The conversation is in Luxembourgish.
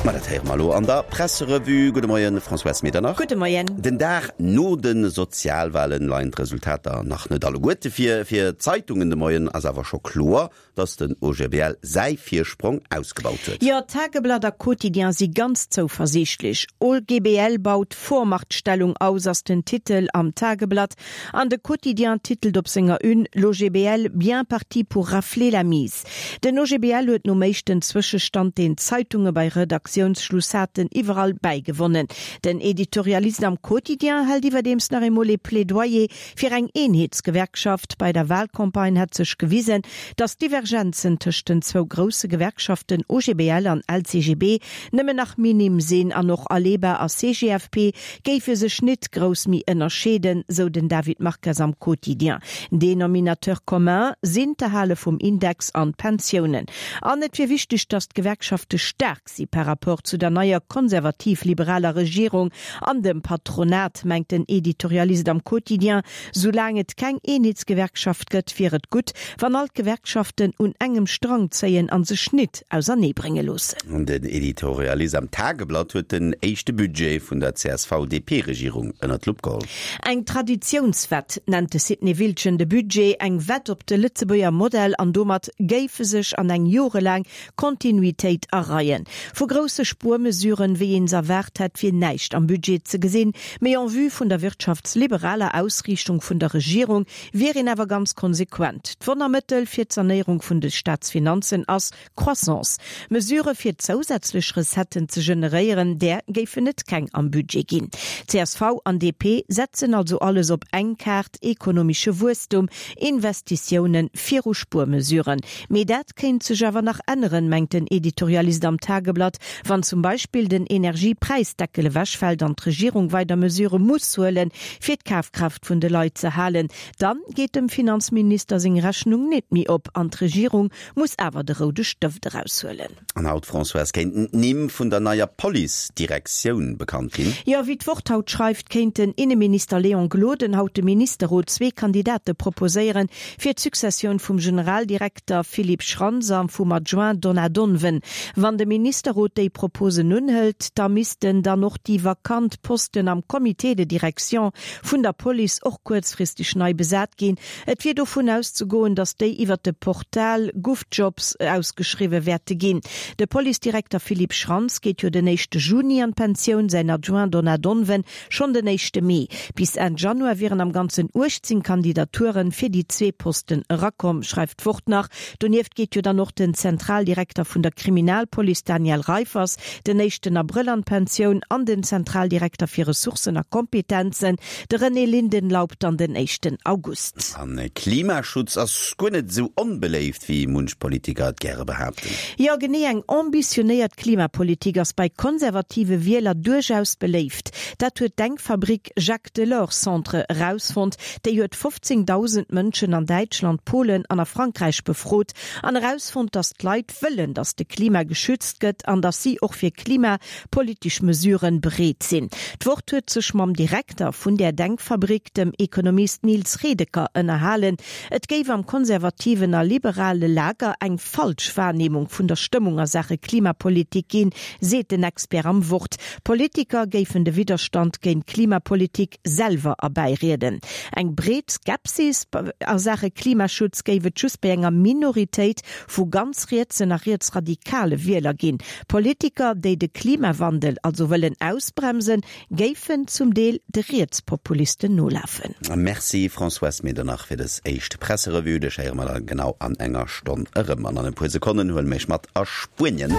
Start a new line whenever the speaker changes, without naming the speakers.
Ma dat héiere mer elo an der Presserevue. Gudde Moien, Françoise Medernach.
Gudde Moien.
Den Dag no de Sozialwahlen leien d'Resultater nach net alleguerte vir. Fir d'Zeitungen de Moien ass awer scho kloer, dass den OGBL säi Virsprong ausgebaut huet.
Jo, Tageblatt a Quotidien si ganz zouversiichtlech. OGBL baut Vormachtstellung aus ass den Titel am Tageblatt an de Quotidien titelt op senger Une, L'OGBL bien parti pour rafler la mise. Den OGBL huet nom éischten Zwëschestand, deen d'Zeitunge bei Redaktiounsschluss haten, iwwerall bäigewonnen. Den Editorialist am Quotidien hält iwwerdeems nach eemol ee Plädoyer Fir eng Eenheetsgewerkschaft bei der Wahlcampagne hätt sech gewisen, datt d'Divergenzen tëscht den zwou grousse Gewerkschaften OGBL an LCGB nëmmen nach minim sinn an och Aleba a CGFP géife sech nit grouss méi ënnerscheeden, sou den David Marques am Quotidien. Dénominateur commun sinn d'Erhale vum Index an d'Pensiounen. An et wier wichteg, datt d'Gewerkschafte staark si par rapport zu der neier konservativ-liberaler Regierung an dem Patronat, mengt den Editorialist am Quotidien. Soulaang et keng Eenheetsgewerkschaft gëtt, wier et gutt, wann all d'Gewerkschaften un engem Strang zéien a sech nit auserneebrénge loossen.
Den Editorialist am Tageblatt huet den éischte Budget vun der CSV-DP-Regierung ënner d'Lupp geholl.
Eng Traditiounswett nennt de Sidney Wildgen de Budget, eng Wett op de Lëtzebuerger Modell an domat géif e sech an eng jorelaang Kontinuitéit areien. Vu grousse Spuermesuren, wéi een se erwaart hätt, wier näischt am Budget ze gesinn. Mee en vue vun der wirtschaftsliberaler Ausriichtung vun der Regierung wier een awer ganz konsequent. D'Wonnermëttel fir d'Sanéierung vun de Staatsfinanzen ass Croissance. Mesurë fir zousätzlech Recetten ze generéieren, där géifen et keng am Budget ginn. Csv an DP setzen also alles op eng Kaart, ekonomesche Wuesstum, Investitiounen viru Spuermesuren. Mee dat kéint sech awer nach änneren, mengt den Editorialist am Tageblatt, wann zum Beispill den Energiepräisdeckel ewechfält an d'Regierung weider Mesure muss huelen, fir d'Kafkraaft vun de Leit ze halen. Dann geet dem Finanzminister seng Rechnung nit méi op an d'Regierung muss awer de roude Stëft eraushuelen.
An haut, Françoise, kéinten d'Nimm vun der neier Police-Direktioun bekannt ginn.
Jo, wéi d'Wort haut schreift, kéint den Inneminister Léon Gloden haut dem Ministerrot zwee Kandidate proposéieren fir d'Successioun vum Generaldirekter Philippe Schrantz a vum Adjoint Donat Donven. Wann de Ministerrot déi Proposen unhëlt, da missten dann och déi vakant Posten am Comité de direction vun der Police och kuerzfristeg nei besat ginn. Et wier dovun auszegoen, datt déi iwwert de Portal GovJobs ausgeschriwwe wäerte ginn. De Policedirekter Philippe Schrantz geet jo den éischte Juni an d'Pensioun, säin Adjoint Donat Donven schonn den éischte Mee. Bis Enn Januar wieren am Ganzen 18 Kandidature fir déi zwee Posten erakomm, schreift d'Wort nach. Donieft geet jo dann och den Zentraldirekter vun der Kriminalpolice Daniel Reiffers den éischten Abrëll an d'Pensioun an den Zentraldirekter fir Ressourcen a Kompetenzen, De René Lindenlaub dann den éischten August.
A Klimaschutz ass guer net esou onbeléift, wéi munch Politiker et gäre behaapten.
Jo, genee, eng ambitionéiert Klimapolitik ass bei konservative Wieler duerchaus beléift. Dat huet d'Denkfabrik Jacques Delors Centre erausfonnt. Déi huet 15.000 Mënschen an Däitschland, Polen an a Frankräich befrot an erausfonnt, datt d'Leit wëllen, datt de Klima geschützt gëtt an datt si och fir Klima politesch Mesuren bereet sinn. D'Wort huet sech mam Direkter vun där Denkfabrik, dem Ekonomist Nils Redeker, ënnerhalen. Et géif am konservativen a liberale Lager eng falsch Wahrnehmung vun der Stëmmung a Saache Klimapolitik ginn, seet den Expert am Wort. Politiker géifen de Widderstand géint d'Klimapolitik selwer erbäirieden. Eng breet Skepsis a Saache Klimaschutz géif et just bei enger Minoritéit vu ganz rietsen a rietsradikale Wieler ginn. Politiker, déi de Klimawandel also wëllen ausbremsen, géifen zum Deel de Rietspopulisten nolafen.
Merci Françoise Medernach fir dës éischt Presserevue. Dech héiere mer da genau an enger Stonn erëm. An an e puer Sekonnen huele mir iech mat a Spuenien.